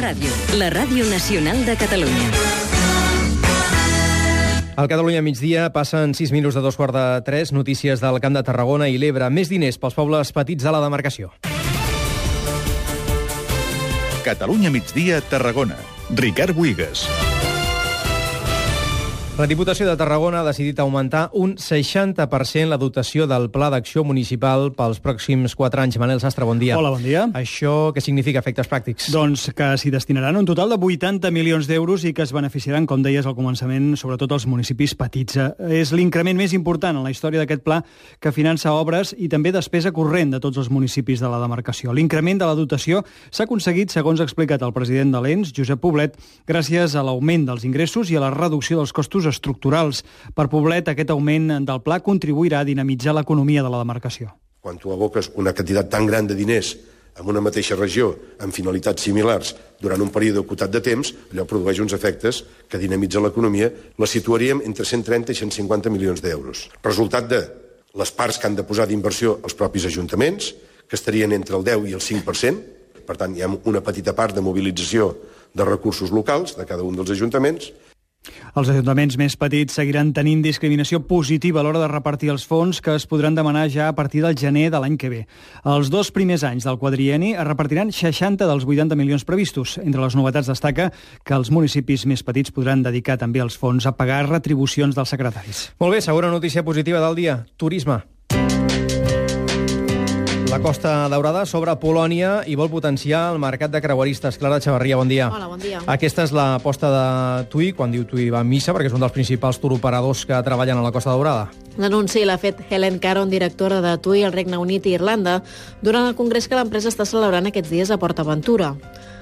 Ràdio, la ràdio nacional de Catalunya. Al Catalunya migdia passen 6 minuts de 2:45, notícies del Camp de Tarragona i l'Ebre. Més diners pels pobles petits de la demarcació. Catalunya migdia, Tarragona. Ricard Buigas. La Diputació de Tarragona ha decidit augmentar un 60% la dotació del Pla d'Acció Municipal pels pròxims 4 anys. Manel Sastre, bon dia. Hola, bon dia. Això què significa, efectes pràctics? Doncs que s'hi destinaran un total de 80 milions d'euros i que es beneficiaran, com deies al començament, sobretot els municipis petits. És l'increment més important en la història d'aquest pla, que finança obres i també despesa corrent de tots els municipis de la demarcació. L'increment de la dotació s'ha aconseguit, segons ha explicat el president de l'ENS, Josep Poblet, gràcies a l'augment dels ingressos i a la reducció dels costos estructurals. Per Poblet, aquest augment del pla contribuirà a dinamitzar l'economia de la demarcació. Quan tu aboques una quantitat tan gran de diners en una mateixa regió amb finalitats similars durant un període acotat de temps, allò produeix uns efectes que dinamitzen l'economia. La situaríem entre 130 i 150 milions d'euros. Resultat de les parts que han de posar d'inversió els propis ajuntaments, que estarien entre el 10 i el 5%. Per tant, hi ha una petita part de mobilització de recursos locals de cada un dels ajuntaments. Els ajuntaments més petits seguiran tenint discriminació positiva a l'hora de repartir els fons, que es podran demanar ja a partir del gener de l'any que ve. Els 2 primers anys del quadrienni es repartiran 60 dels 80 milions previstos. Entre les novetats destaca que els municipis més petits podran dedicar també els fons a pagar retribucions dels secretaris. Molt bé, segona notícia positiva del dia. Turisme. La Costa Daurada s'obre a Polònia i vol potenciar el mercat de creueristes. Clara Xavarria, bon dia. Hola, bon dia. Aquesta és l'aposta de TUI, quan diu TUI va a missa, perquè és un dels principals turoperadors que treballen a la Costa Daurada. L'anunci l'ha fet Helen Caron, directora de TUI al Regne Unit i Irlanda, durant el congrés que l'empresa està celebrant aquests dies a Port Aventura.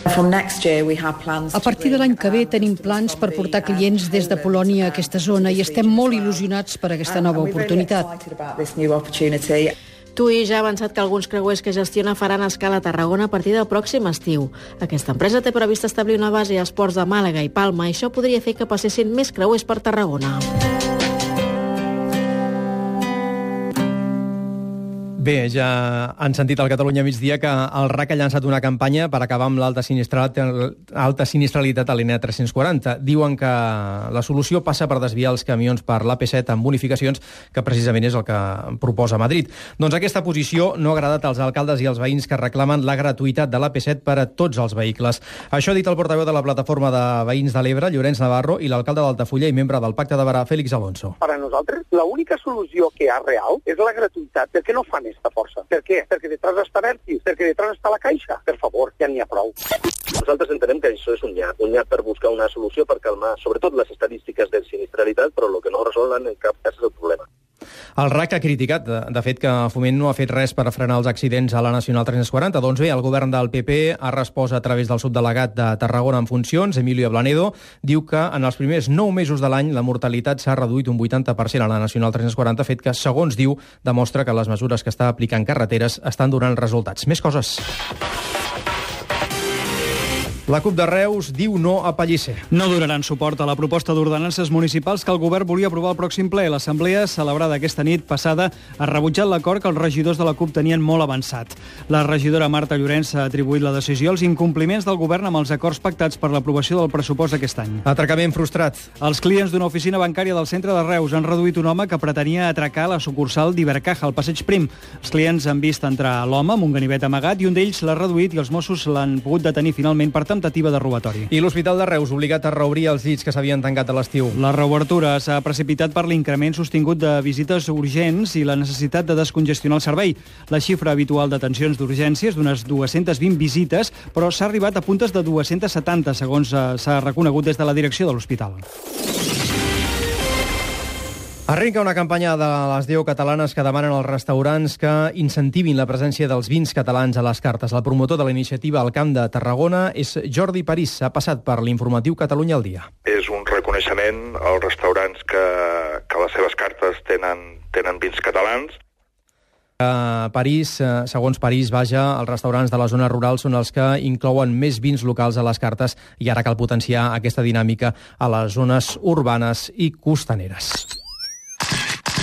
A partir de l'any que ve tenim plans per portar clients des de Polònia a aquesta zona i estem molt il·lusionats per aquesta nova oportunitat. TUI ja ha avançat que alguns creuers que gestiona faran escala a Tarragona a partir del pròxim estiu. Aquesta empresa té previst establir una base als ports de Màlaga i Palma i això podria fer que passessin més creuers per Tarragona. Bé, ja han sentit al Catalunya migdia que el RAC ha llançat una campanya per acabar amb l'alta sinistralitat a l'ENA 340. Diuen que la solució passa per desviar els camions per l'AP7 amb bonificacions, que precisament és el que proposa Madrid. Doncs aquesta posició no ha agradat als alcaldes i als veïns que reclamen la gratuïtat de l'AP7 per a tots els vehicles. Això ha dit el portaveu de la plataforma de veïns de l'Ebre, Llorenç Navarro, i l'alcalde d'Altafulla i membre del Pacte de Berà, Félix Alonso. Per a nosaltres, l'única solució que hi ha real és la gratuïtat. Per què no fan esta força? Per què? Perquè detrás està Bertis, perquè detrás està la Caixa. Per favor, ja n'hi ha prou. Nosaltres entenem que això és un nyap per buscar una solució per calmar, sobretot les estadístiques de sinistralitat, però el que no resolen en cap cas és el problema. El RAC ha criticat, de fet, que Foment no ha fet res per frenar els accidents a la Nacional 340. Doncs bé, el govern del PP ha respost a través del subdelegat de Tarragona en funcions, Emilio Ablanedo, diu que en els primers 9 mesos de l'any la mortalitat s'ha reduït un 80% a la Nacional 340, fet que, segons diu, demostra que les mesures que està aplicant Carreteres estan donant resultats. Més coses. La CUP de Reus diu no a Pellicer. No donaran suport a la proposta d'ordenances municipals que el govern volia aprovar al pròxim ple. L'assemblea, celebrada aquesta nit passada, ha rebutjat l'acord que els regidors de la CUP tenien molt avançat. La regidora Marta Llorenç ha atribuït la decisió als incompliments del govern amb els acords pactats per l'aprovació del pressupost d'aquest any. Atracament frustrat. Els clients d'una oficina bancària del centre de Reus han reduït un home que pretenia atracar la sucursal d'Ibercaja, al Passeig Prim. Els clients han vist entrar l'home amb un ganivet amagat i un d'ells l'ha reduït i els Mossos l'han pogut detenir finalment per temptativa de robatori. I l'Hospital de Reus obligat a reobrir els llits que s'havien tancat a l'estiu. La reobertura s'ha precipitat per l'increment sostingut de visites urgents i la necessitat de descongestionar el servei. La xifra habitual d'atencions d'urgències d'unes 220 visites, però s'ha arribat a puntes de 270, segons s'ha reconegut des de la direcció de l'hospital. Arrenca una campanya de les 10 catalanes que demanen als restaurants que incentivin la presència dels vins catalans a les cartes. El promotor de la iniciativa al Camp de Tarragona és Jordi París. Ha passat per l'informatiu Catalunya al dia. És un reconeixement als restaurants que les seves cartes tenen vins catalans. París, segons París, vaja, els restaurants de les zones rurals són els que inclouen més vins locals a les cartes i ara cal potenciar aquesta dinàmica a les zones urbanes i costaneres.